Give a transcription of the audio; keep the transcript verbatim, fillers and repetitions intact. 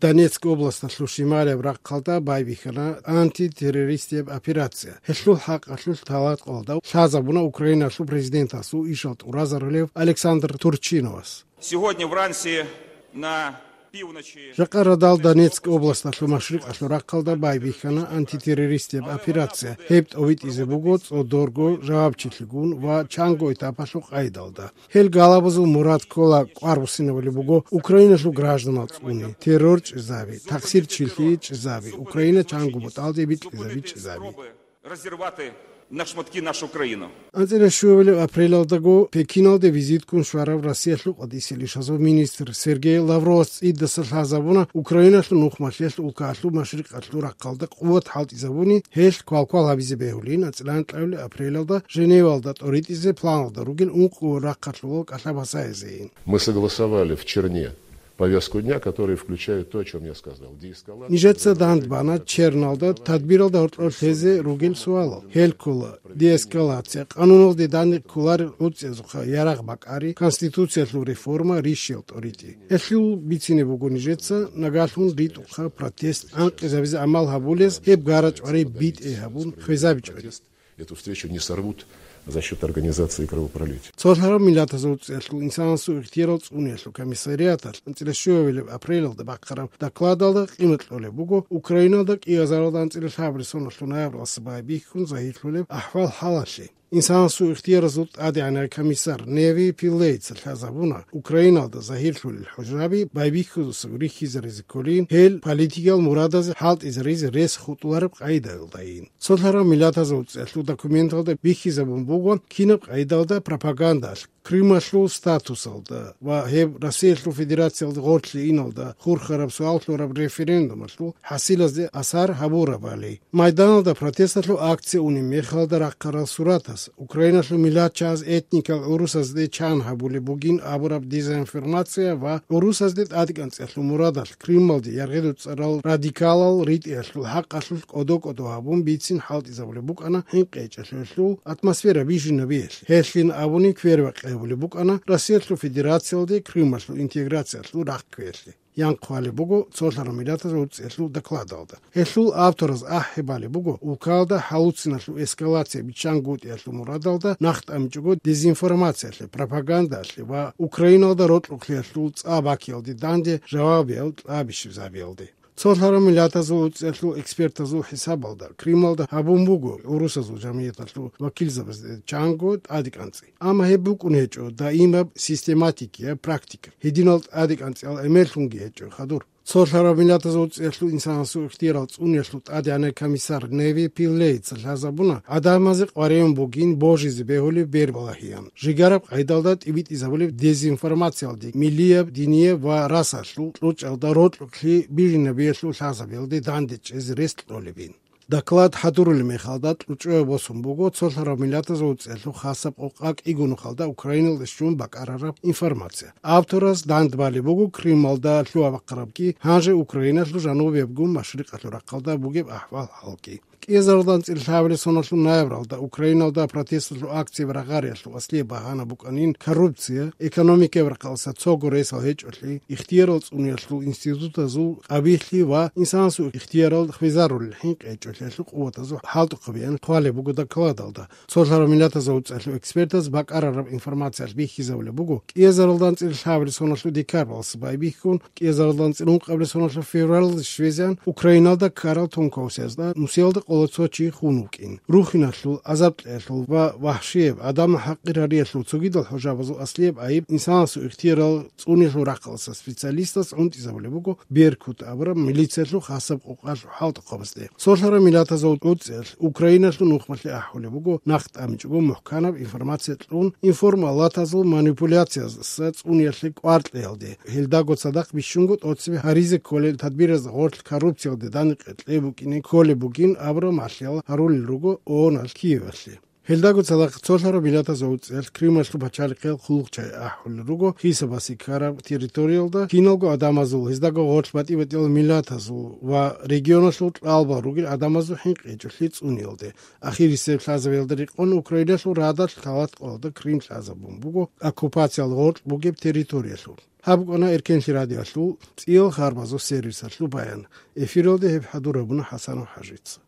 Донецк областалъул щималияб рахъалда байбихьана антитеррористияб операция. Гьелъул хӀакъалъулъ талакъалда лъазабуна Украиналъул президентасул ишал тӀуразарулев Александр Турчиновас. Сегодня в Рансе на півночі Жакъа радал Донецк областалъул машрикъалъул рахъалда байбихьана антитеррористияб операция. Гьеб тӀовитӀизе буго цӀодорго жавабчилъигун ва чанго этапалъул къайдалда. Гьел галабазул мурад ккола кӀвар буссинабулеб буго Украиналъул гражданал цӀуни, террор чӀезаби, тахсир чилъи чӀезаби, Украина чанго бутӀалде бикьизабичӀезаби. Разорвати на шматки нашу країну. АнцӀила щуабилеб апрелалдаго Пекиналде визитккун щварав Россиялъул къватӀисел ишазул министр Сергей Лавровас цӀидаса лъазабуна Украиналъул нухмалъиялъ улкаялъул машрикъалъул рахъалда къуват хӀалтӀизабуни, гьелъ квалквал гьабизе бегьулин, анцӀила анкьабилеб апрелалда Женевалда тӀоритӀизе планалда ругел ункъо рахъалъулал кӀалъа басаизейин. Мы согласовали в Черне повестку дня, которая включает то, о чем я сказал. Деэскалация, Нижеца дандбана Черналда тадбиралда гьоркьор лъезе ругел суалал. Гьел ккола деэскалация, къануналде данде кколарел гӀуцӀиязухъа ярагъ бакӀари, конституциялъул реформа, рищел тӀоритӀи. Гьелъул бицине буго нижеца нагалъун ритӀухъа протест анкъизабизе амал гьабулез, гьеб гарачӀварай битӀе гьабун хвезабичӀвари. Эту встречу не сорвут за счет организации кровопролития. Цолъараб Миллатазул ЦӀикӀкӀалъул инсанасул ихтиярал цӀуниялъул комиссариаталъ анцӀила щуабилеб апрелалда бахъараб докладалда къимат кьолеб буго Украиналда кӀиазаралда анцӀила лъабабилеб соналъул ноябралдаса байбихьун загьирлъулеб ахӀвал-хӀалалъе. Инсанасул ихтияразул тӀадегӀанай комиссар Неви Пиллейца лъазабуна, Украиналда загьирлъулел хӀужаби байбихьудаса рихьизаризе кколин, гьел политикиял мурадазе хӀалтӀизаризе рес хутӀулареб къайдаялдайин. Цолъараб Миллатазул ЦӀикӀкӀалъул документалда бихьизабун буго кинаб къайдалда пропагандалъ, Крымалъул статусалда ва гьеб Россиялъул Федерациялда гъорлъе иналда хурхараб суал лъураб референдумалъул хӀасилазде асар гьабурабали. Майданалда протесталъул акция унеб мехалда рахъарал суратаз, Украиналъул миллатчагӀаз этникал гӀурусазде чан гьабулеб бугин абураб дезинформация ва гӀурусазде тӀадекӀанцӀиялъул мурадалъ Крымалде яргъи-дуцӀарал радикалал ритӀиялъул хӀакъалъулъ кӀодо-кӀодо гьабун бицин хӀалтӀизабулеб букӀана хӀинкъи гьечӀелъулъул атмосфера бижинабиялъе. Гьелъин абуни квербакъи гьабулеб букӀана Россиялъул Федерациялде Крымалъул интеграциялъул рахъ кквеялъе. Ян хъвалеб буго Цолъараб Миллатазул ЦӀикӀкӀалъул докладалда. Гьелъул автораз ахӀи балеб буго, улкалда хӀалуциналъул эскалация биччан гутӀиялъул мурадалда нахъ тӀамичӀого дезинформациялъе, пропагандалъе ва Украиналда рокьукълъиялъул цӀа бакиялде данде жавабиял кьабищизабиялде. Цолъараб Миллатазул ЦӀикӀкӀалъул экспертазул хӀисабалда, Крымалда гьабун буго гӀурусазул жамгӀияталъул вакилзабазде чанго тӀадекӀанцӀи. Амма гьеб букӀун гьечӀо даимаб систематикияб практика, гьединал тӀадекӀанцӀиял гӀемерлъунги гьечӀо хадур. Цолъараб Миллатазул ЦӀикӀкӀалъул инсанасул ихтиярал цӀуниялъул тӀадегӀанай комиссар Неви Пиллейца лъазабуна, гӀадамазе къваригӀун бугин божизе бегьулеб бербалагьиян. Жигараб къайдалда тӀибитӀизабулеб дезинформациялде, миллияб, динияб ва расалъул кьучӀалда рокьукълъи бижинабиялъул лъазабиялде данде чӀезе рес кьолебин. Доклад хӀадурулеб мехалда кьучӀуяб босун буго Цолъараб Миллатазул ЦӀикӀкӀалъул хасаб къокъа кӀиго нухалда Украиналде щун бакӀарараб информация. Автораз дандбалеб буго Крымалда лъугьа-бахъарабги, гьанже Украиналъул жанубиябгун машрикъалъул рахъалда бугеб ахӀвал-хӀалги. КӀиазаралда анцӀила лъабабилеб соналъул ноябралда Украиналда протесталъул акцияб рагъариялъул аслияб багьана букӀанин коррупция, экономикаяб рахъалъа цого ресал гьечӀолъи, ихтиярал цӀуниялъул институтазул къабихьлъи ва инсанасул ихтиярал хвезарулел хӀинкъи гьечӀолъиялъул къуватазул хӀалтӀухъабиян хъвалеб буго докладалда. Цолъараб Миллатазул ЦӀикӀкӀалъул экспертаз бакӀарараб информациялъ бихьизабулеб буго, кӀиазаралда анцӀила лъабабилеб соналъул декабралдаса байбихьун, кӀиазаралда анцӀила ункъабилеб соналъул февралалде щвезегӀан Украиналда ккарал тонкаусиязда нусиялда къола цо чи хун вукӀин. Рухиналъул, азаб-кьеялъул ва вагьшияб, гӀадамал хӀакъир гьариялъул цогидал хӀужабазул аслияб гӀайиб инсанасул ихтиярал цӀуниялъул рахъалъа специалистас гӀунтӀизабулеб буго Беркут абураб милициялъул хасаб къокъалъул хӀалтӀухъабазде. Цолъараб Миллатазул ЦӀикӀкӀалъ Украиналъул нухмалъе ахӀулеб буго нахъ тӀамичӀого мухӀканаб информация кьун, информалатазул манипуляциязаса цӀуниялъе кӀвар кьеялде, гьелдаго цадахъ бищунго тӀоцебе гьаризе кколел тадбиразда гъорлъ коррупциялде даникъе кьей букӀине кколеб бугин абураб малъиял гьарулел руго ООНалъ Киевалъе. Гьелдаго цадахъ цолъараб миллатазул цӀеялъ Крымалъул пачалихъе хъулухъчагӀи ахӀулел руго хьисабалъе ккараб территориялда киналго адамазул, гьездаго гъорлъ батӀи-батӀиял миллатазул ва регионалъул кьалбал ругел адамазул хӀинкъичӀолъи цӀуниялде. Ахирисеб лъазабиялда рекъон Украиналъул радалъ лъалат къоялда Крым лъазабун буго оккупациялда гъоркь бугеб территориялъул. Гьаб букӀана Эркенлъи радиоялъул цӀиял харбазул сервисалъул баян. Эфиралде гьеб хӀадур гьабуна ХӀасанов ХӀажица.